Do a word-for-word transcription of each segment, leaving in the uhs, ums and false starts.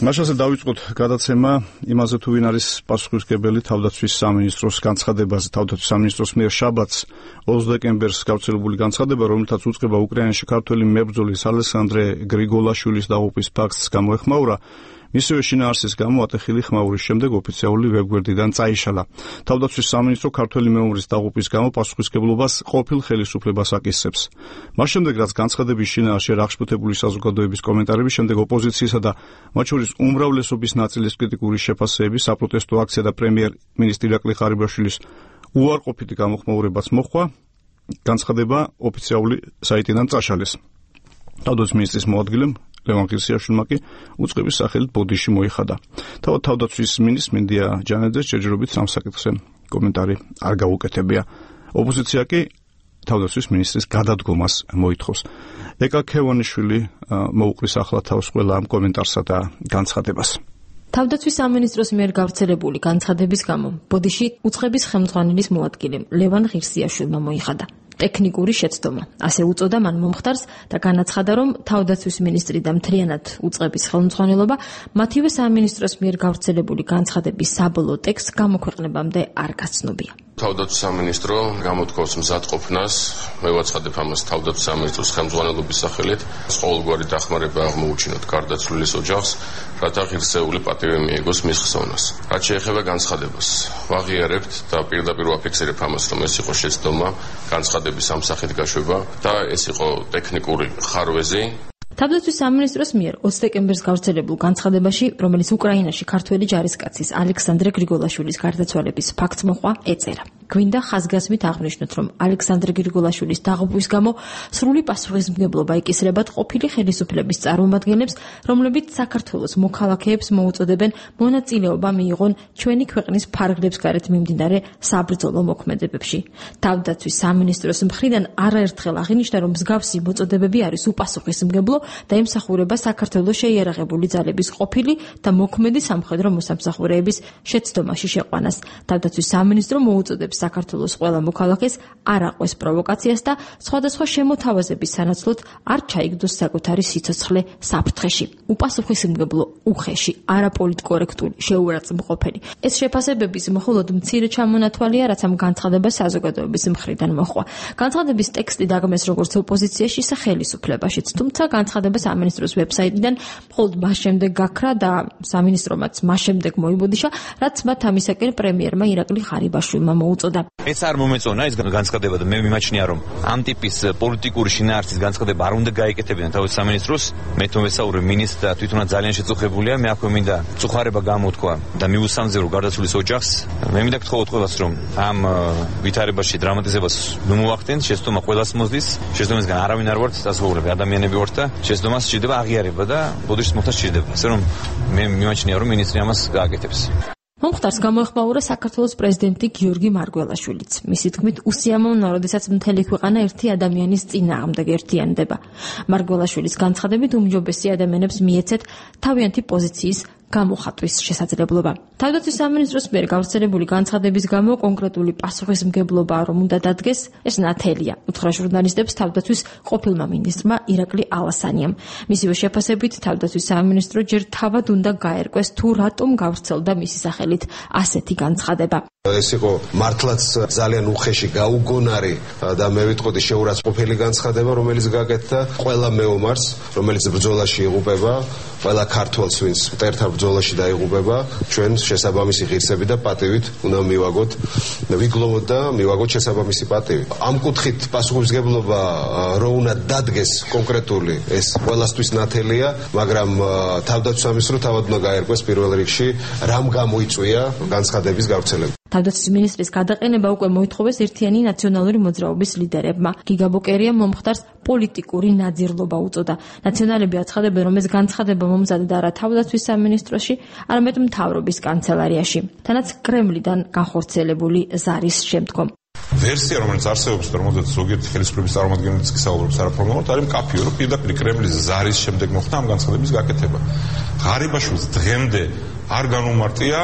მაშასე დავიწყოთ გადაცემა იმაზე თუ ვინ არის პასუხისმგებელი თავდაცვის სამინისტროს განცხადებაზე. თავდაცვის სამინისტროს მიერ შაბათს ოცდაათი დეკემბერს გავრცელებული განცხადება, რომელთაც უწყება უკრაინაში ქართველი მებრძოლის ალექსანდრე გრიგოლაშვილის დაღუპვის ფაქტს გამოეხმაურა, მისივე შინაარსის გამო ატეხილი ხმაურის შემდეგ ოფიციალური ვებგვერდიდან წაიშალა. თავდაცვის სამინისტრო ქართველი მეომრის დაღუპვის გამო პასუხისმგებლობას ყოფილ ხელისუფლებას აკისრებს. მას შემდეგ, რაც განცხადების შინაარსში აღშფოთებული საზოგადოების კომენტარების შემდეგ ოპოზიციისა და მათ შორის უმრავლესობის ნაწილის კრიტიკული შეფასებები, საპროტესტო აქცია და პრემიერ-მინისტრი ირაკლი ღარიბაშვილის უარყოფითი გამოხმაურებაც მოჰყვა, განცხადება ოფიციალური საიტიდან წაშალეს. თავდაცვის მინისტრის მოადგილემ ლევან ღირსიაშვილმა კი უწყების სახელით ბოდიში მოიხადა. თავად თავდაცვის მინისტრს მინდია ჯანეძეს ჯერჯერობით სამ საკითხზე კომენტარი არ გაუკეთებია. ოპოზიცია კი თავდაცვის მინისტრის გადადგომას მოითხოვს. ეკა ქევანიშვილი მოუყრის ახლა თავს ყველა ამ კომენტარსა და განცხადებას. თავდაცვის სამინისტროს მიერ გავრცელებული განცხადების გამო ბოდიში უწყების ხელმძღვანელის მოადგილემ ლევან ღირსიაშვილმა მოიხადა. ტექნიკური შეცდომა. ასე უწოდა მან მომხდარს და განაცხადა, რომ თავდაცვის მინისტრი და მთლიანად უწყების ხელმძღვანელობა მათივე სამინისტროს მიერ გავრცელებული განცხადების საბოლოო ტექსტს გამოქვეყნებამდე არ გაცნობია. თავდაცვის სამინისტრო გამოთქვამს მზადყოფნას, მევაცხადებ ამას თავდაცვის სამინისტროს ხელმძღვანელობის სახელით, ყოველგვარი დახმარება აღმოუჩინოთ გარდაცვლილის ოჯახს, რათა ღირსეული პატივი მიეგოს მის ხსოვნას. რაც შეეხება განცხადებას, ვაღიარებთ და პირდაპირ ვაფიქსირებ ამას, რომ ეს იყო შეცდომა, განცხადების ამ სახით გაშვება და ეს იყო ტექნიკური ხარვეზი. თავდაცვის სამინისტროს მიერ ოცდაათი დეკემბერს გავრცელებულ განცხადებაში, რომელიც უკრაინაში ქართველი ჯარისკაცის ალექსანდრე გრიგოლაშვილის გარდაცვალების ფაქტს მოჰყვა, ეწერა. გვინდა ხაზგასმით აღნიშნოთ, რომ ალექსანდრე გრიგოლაშვილის დაღუპვის გამო სრული პასუხისმგებლობა იკისრებათ ყოფილი ხელისუფლების წარმომადგენლებს, რომლებიც საქართველოს მოქალაქეებს მოუწოდებენ მონაწილეობა მიიღონ ჩვენი ქვეყნის ფარგლებს გარეთ მიმდინარე საბრძოლო მოქმედებებში. თავდაცვის სამინისტროს მხრიდან არაერთხელ აღინიშნა, რომ მსგავსი მოწოდებები არის უპასუხისმგებლო და ემსახურება საქართველოს შეიარაღებული ძალების ყოფილი და მოქმედი სამხედრო მოსამსახურეების შეცდომაში შეყვანას. თავდაცვის სამინისტრო მოუწოდებს საქართველოს ყველა მოქალაქეს არ აყვეს პროვოკაციას და სხვადასხვა შემოთავაზების სანაცვლოდ არ ჩაიგდოს საკუთარი სიცოცხლე საფრთხეში. უპასუხისმგებლო, უხეში, არაპოლიტკორექტული, შეურაცხმყოფელი. ეს შეფასებების მხოლოდ მცირე ჩამონათვალია, რაც ამ განცხადებას საზოგადოების მხრიდან მოჰყვა. განცხადების ტექსტი დაგმეს როგორც ოპოზიციაში, ისე ხელისუფლებაშიც, თუმცა განცხადება სამინისტროს ვებსაიტიდან მხოლოდ მას შემდეგ გაქრა და სამინისტრომაც მას შემდეგ მოიბოდიშა, რაც მათ ამისაკენ პრემიერმა ირაკლი ღარიბაშვილმა მოუწოდა. ეს არ მომეწონა ეს განცხადება და მე მიმაჩნია, რომ ამ ტიპის პოლიტიკური შინაარსის განცხადება არ უნდა გაეკეთებინა თავის სამინისტროს. მე თვითონ ვესაუბრე მინისტრს და თვითონაც ძალიან შეწუხებულია. მე აქვე მინდა წუხარება გამოთქვა და მიუსამზერო გარდაცვლილის ოჯახს. მე მინდა გთხოვოთ ყველას, რომ ამ ვითარებაში დრამატიზებას ნუ მოახდენთ, შეცდომა ყველას მოსდის. შეცდომისგან არავინ არ ვართ დასავლები ადამიანები ვართ და შეცდომას სჭირდება აღიარება და ბოდიშის მოხდა სჭირდება. ასე რომ მე მიმაჩნია, რომ მინისტრი ამას გააკეთებს. მომხდარს გამოეხმაურა საქართველოს პრეზიდენტი გიორგი მარგველაშვილიც. მისი თქმით, უსიამოვნოა, როდესაც მთელი ქვეყანა ერთი ადამიანის წინააღმდეგ ერთიანდება. მარგველაშვილის განცხადებით უმჯობესი ადამიანებს მიეცეთ თავიანთი პოზიციის გამოხატვის შესაძლებლობა. თავდაცვის სამინისტროს მიერ გავრცელებული განცხადების გამო კონკრეტული პასუხისმგებლობა რომ უნდა დადგეს, ეს ნათელია. უთხრა ჟურნალისტებს თავდაცვის ყოფილმა მინისტრმა ირაკლი ალასანიამ. მისივე შეფასებით, თავდაცვის სამინისტრო ჯერ თავად უნდა გაერკვეს, თუ რატომ გავრცელდა მისი სახელით ასეთი განცხადება. ეს იყო მართლაც ძალიან უხეში, გაუგონარი და მე ვიტყოდი შეურაცხმყოფელი განცხადება, რომელიც გაკეთდა ყველა მეომარს, რომელიც ბრძოლაში იღუპება, ყველა ქართველს, ვინც მტერთა ბრძოლაში დაიღუპება, ჩვენ შესაბამისი ღირსები და პატივით უნდა მივაგოთ, ვიგლოვოთ და მივაგოთ შესაბამისი პატივი. ამ კუთხით პასუხისმგებლობა რო უნდა დადგეს კონკრეტული, ეს ყველასთვის ნათელია, მაგრამ თავდაცვის სამინისტრო თავად უნდა გაერკვეს პირველ რიგში, რამ გამოიწვია განცხადების გავრცელება. თავდაცვის მინისტრის გადაყენება უკვე მოითხოვეს ერთიანი ნაციონალური მოძრაობის ლიდერებმა. გიგა ბოკერიამ მომხდარს პოლიტიკური ნაძირლობა უწოდა. ნაციონალები აცხადებენ, რომ ეს განცხადება მომზადდა არა თავდაცვის სამინისტროში, არამედ მთავრობის კანცელარიაში, თანაც კრემლიდან განხორციელებული ზარის შემდგომ. ვერსია, რომელიც არსებობს და რომელზეც ზოგიერთი ხელისუფლების წარმომადგენლებიც კი საუბრობს არაფორმალურად, არის მკაფიო, რომ პირდაპირ კრემლის ზარის შემდეგ მოხდა ამ განცხადების გაკეთება. ღარიბაშვილს დღემდე არ განუმარტია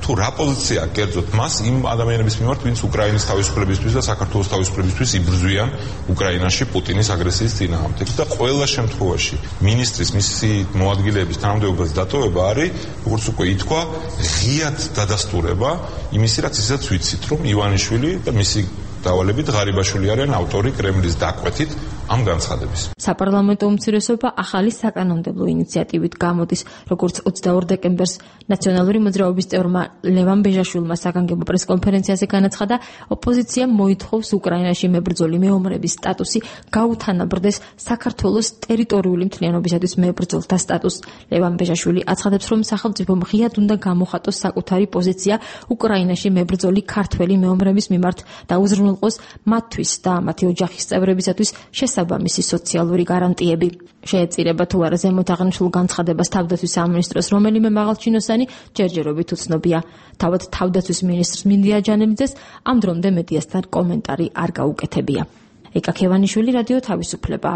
თუ რა პოზიცია კერძოდ მას იმ ადამიანების მიმართ, ვინც უკრაინის თავისუფლებისთვის და საქართველოს თავისუფლებისთვის იბრძვიან უკრაინაში პუტინის აგრესიის წინააღმდეგ და ყველა შემთხვევაში მინისტრის მისი მოადგილეების თანამდებობის დატოვება არის, როგორც უკვე ითქვა, ღიად დადასტურება იმისი, რაც ისაც ვიცით, რომ ივანიშვილი და მისი დავალებით ღარიბაშვილი არიან ავტორი კრემლის დაკვეთით ამ განცხადების. საპარლამენტო უმცირესობა ახალი საკანონმდებლო ინიციატივით გამოდის, როგორც ოცდაორ დეკემბერს ნაციონალური მოძრაობის წევრმა ლევან ბეჟაშვილმა საგანგებო პრესკონფერენციაზე განაცხადა, ოპოზიციამ მოითხოვს უკრაინაში მებრძოლი მეომრების სტატუსი გაუთანაბრდეს საქართველოს ტერიტორიული მთლიანობისათვის მებრძოლთა სტატუსს. ლევან ბეჟაშვილი აცხადებს, რომ სახელმწიფომ ღიად უნდა გამოხატოს საკუთარი პოზიცია უკრაინაში მებრძოლი ქართველი მეომრების მიმართ და უზრუნველყოს მათთვის და მათი ოჯახის წევრებისათვის შესაბამისი სოციალური გარანტიები. შეეწირება თუ არა ზემოთ აღნიშნულ განცხადებას თავდაცვის სამინისტროს რომელიმე მაღალჩინოსანი ჯერჯერობით უცნობია. თავად თავდაცვის მინისტრს მინდია ჯანელიძეს ამ დრომდე მედიასთან კომენტარი არ გაუკეთებია. ეკა ქევანიშვილი, რადიო თავისუფლება.